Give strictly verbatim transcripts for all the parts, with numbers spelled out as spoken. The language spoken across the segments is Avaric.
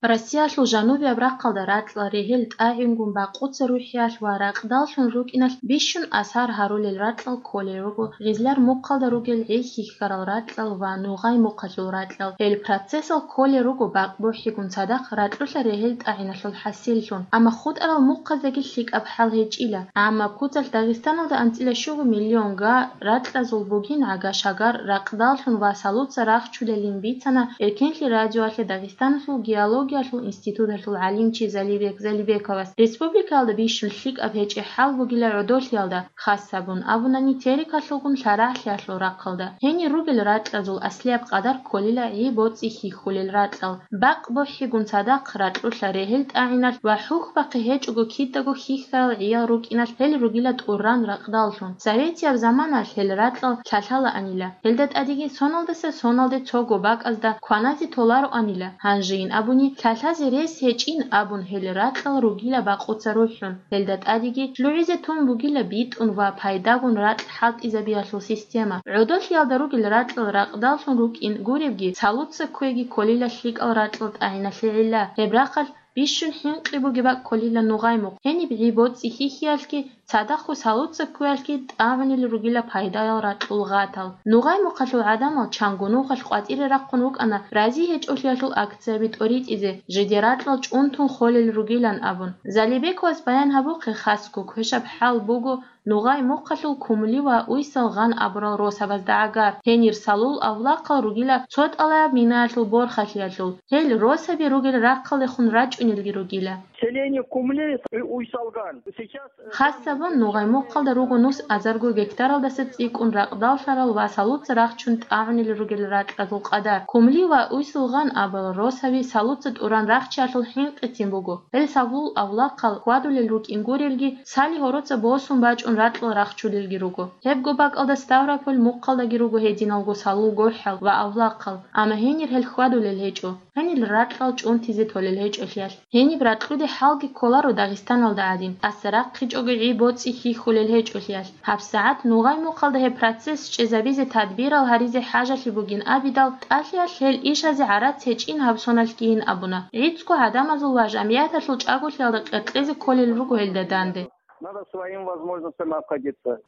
Россиялъул жанубияб рахъалда ракьал регьел тӀагӀингун бакъуца рухӀиялъ ва ракьдаллъун рукӀиналъ бищун асар гьарулел ракьал кколел руго гъизлар мухъалда ругел гӀи хьихьарал ракьал ва нугъай мухъалъул ракьал. Гьел процессал кколел руго бакъ бухӀигун цадахъ ракьулъа регьел тӀагӀиналъул хӀасиллъун. Амма хутӀарал мухъаздаги лъикӀаб хӀал гьечӀила. Амма куцалъ Дагъистаналда анцӀила щуго миллион га ракьазул бугин гӀага-шагар ракьдаллъун ва салуца рахчулелин бицана Эркенлъи радиоялъе Дагъистаналъул геологиялъул институталъул гӀалимчи Залибек Залибековас. Республикаялда бищун лъикӀаб гьечӀеб хӀал бугила гӀодолъиялда, хас гьабун абунани, терикалъулгун лъарагӀлъиялъул рахъалда. Гьенир ругел ракьазул аслияб къадар кколила гӀи боцӀи хьихьулел ракьал. Бакъ бухӀигун цадахъ ракьулъа регьел тӀагӀиналъ ва хӀухьбахъи гьечӀого кидаго хьихьарал гӀиял рукӀиналъ гьел ругила тӀуран ракьдаллъун. Советияб заманалъ гьел ракьал лъалъалаанила. Гьелда тӀадеги соналдаса соналде цого бакӀазда кваназе толароанила. Гьанжейин абуни, лъалъазе рес гьечӀин абун гьел ракьал ругила бакъуца рухӀун. Гьелда тӀадеги лъугӀизе тун бугила битӀун ва пайдагун ракь хӀалтӀизабиялъул система. ГӀодолъиялда ругел ракьал ракьдаллъун рукӀин гуребги, салуца кквеги кколила лъикӀал ракьал тӀагӀиналъе гӀилла. Гьеб рахъалъ бищун хӀинкъи бугеб бакӀ кколила нугъай мухъ. Гьениб гӀи боцӀи хьихьиялъги, цадахъго салуца кквеялъги тӀагӀунел ругила пайдаял ракьул гъатал. Нугъай мухъалъул гӀадамал чанго нухалъ къватӀире рахъун рукӀана рази гьечӀолъиялъул акцияби тӀоритӀизе, жидер ракьал чӀунтун холел ругилан абун. Залибековас баян гьабухъе, хасго квешаб хӀал буго нугъай мухъалъул Кумли ва Уйсалгъан абурал росабазда гӀагар. Гьенир салул авлахъал ругила цо тӀалаб минаялъул борхалъиялъул. Гьел росаби ругел рахъалдехун рачӀунелги ругила. Селение Кумли, Уйсалган. Сейчас, э, Хасабун нугъай мухъалда руго нус азарго гектаралдаса цӀикӀкӀун ракьдаллъарал ва салуца рахчун тӀагӀунел ругел ракьазул къадар. Кумли ва Уйсулгъан абал росаби салуца тӀуран рахчиялъул хӀинкъицин буго. Гьел салул авлахъал хьвадулел рукӀин гурелги, сали гьороца босун бачӀун ракьал рахчулелги руго. Гьебго бакӀалда Ставрополь мухъалдаги руго гьединалго салул гохӀал ва авлахъал, амма гьенир гьел хьвадулел гьечӀо. Гьенир ракьал чӀунтизе толел гьечӀолъиялъ. Гьениб ракьуде хӀалги кколаро Дагъистаналда гӀадин, тӀаса рахъичӀого гӀи боцӀи хьихьулел гьечӀолъиялъ. ГьабсагӀат нугъай мухъалда гьеб процесс чӀезабизе тадбирал гьаризе хӀажалъи бугин абидал, тӀалъиялъ гьел ишазе гӀарац гьечӀин гьаб соналъгийин абуна. ГӀицӀго гӀадамазул ва жамгӀияталъул чӀаголъиялда къеркьезе кколел руго гьелда данде. Надо своим возможностям обходиться.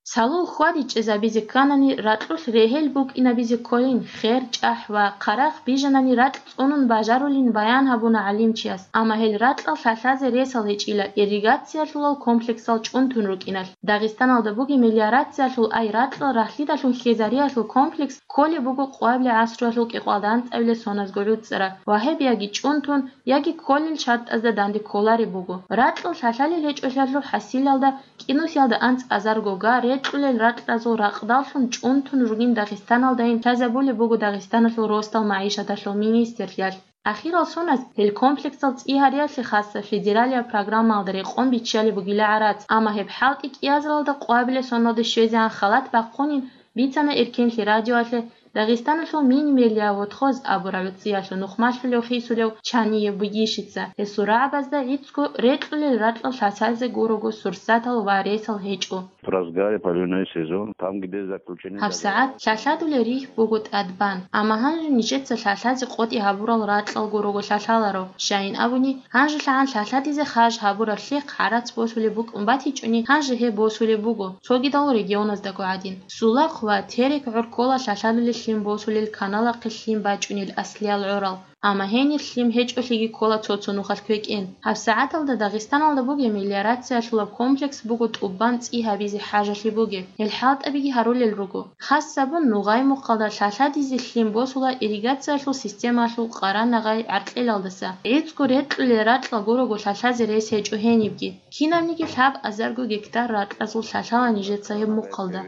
Салул хьвадичӀезабизе кканани, ракьулъ регьел букӀинабизе кколин, хер, чӀахӀ ва хъарахъ бижанани ракь цӀунун бажарулин баян гьабуна гӀалимчияс, амма гьел ракьал лъалъазе ресал гьечӀила ирригациялъулал комплексал чӀунтун рукӀиналъ. Дагъистаналда бугеб мелиорациялъул ай ракьал рахлидалъун хьезариялъул комплекс кколеб буго къвабилеб гӀасруялъул кӀикъоялда анцӀабилеб соназго гӀуцӀараб ва гьеб яги чӀунтун, яги кколел шартӀазда данде кколареб буго. Ракьал лъалъалел гьечӀолъиялъул хӀасилалда кӀинусиялда анцӀазарго га рекьулел ракьазул ракьдаллъун чӀунтун ругин Дагъистаналдайин лъазабулеб буго Дагъистаналъул росдал магӀишаталъул министрлъиялъ. Ахирал соназ гьел комплексал цӀи гьариялъе хасаб федералияб программаялда рекъон биччалеб бугила гӀарац, амма гьеб хӀалтӀи кӀиазаралда къвабилеб соналде щвезегӀан халат бахъунин бицана Эркенлъи радиоялъе Дагъистаналъул Мини-Мелиа-Вотхоз абураб гӀуцӀиялъул нухмалъулев хисулев Чаниев Бугищица. Гьесул рагӀабазда гӀицӀго рекьулел ракьал лъалъазе гурого сурсатал ва ресал гьечӀо. В разгаре поливной сезон, там, где заключены ГьабсагӀат договора. Лъалъадулел рихь буго тӀадбан, амма гьанже нижеца лъалъазе къотӀи гьабурал ракьал гурого лъалъаларо. Щайин абуни, гьанжелъагӀан лъалъадизе хаж гьабураб лъихъ гӀарац босулеб букӀун батичӀони, гьанже гьеб босулеб буго, цогидал регионаздаго гӀадин. Сулахъ ва Терек гӀур ккола лъалъадулел лъим босулел каналахъе лъим бачӀунел аслиял гӀорал. Амма гьенир лъим гьечӀолъиги ккола цо-цо нухалъ квекӀен. ГьабсагӀаталда Дагъистаналда бугеб мелиорациялъулаб комплекс буго тӀубан цӀи гьабизе хӀажалъи бугеб. Гьел хӀалтӀабиги гьарулел руго. Хасабун нугъай мухъалда лъалъадизе лъим босула ирригациялъул системалъул къарана гъай гӀаркьелалдаса. ГӀицӀго рекьулел ракьал гурого лъалъазе рес гьечӀо гьенибги. Кинабниги лъаб азарго гектар ракьазул лъалъала нижеца гьеб мухъалда.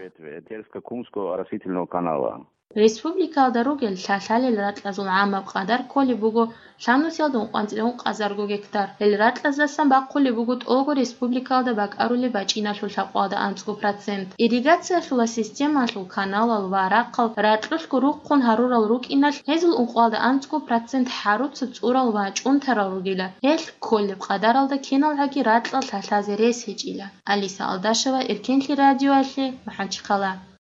Терско-Кумского оросительного канала. Республикаялда ругел лъалъалел ракьазул гӀамаб къадар кколеб буго лъабнусиялда ункъанцӀила ункъазарго гектар. Гьел ракьаздасан бахъулеб буго тӀолго республикаялда бакӀарулеб бачӀиналъул лъабкъоялда анцӀго процент. Ирригациялъула системалъул каналал ва рахъал ракьулъго рухъун гьарурал рукӀиналъ, гьезул ункъоялда анцӀго процент хӀаруца цӀурал ва чӀунтарал ругила. Гьелъ кколеб къадаралда киналгӀаги ракьал лъалъазе рес гьечӀила. Алиса Алдашева, Эркенлъи радиоялъе, МахӀачхъала.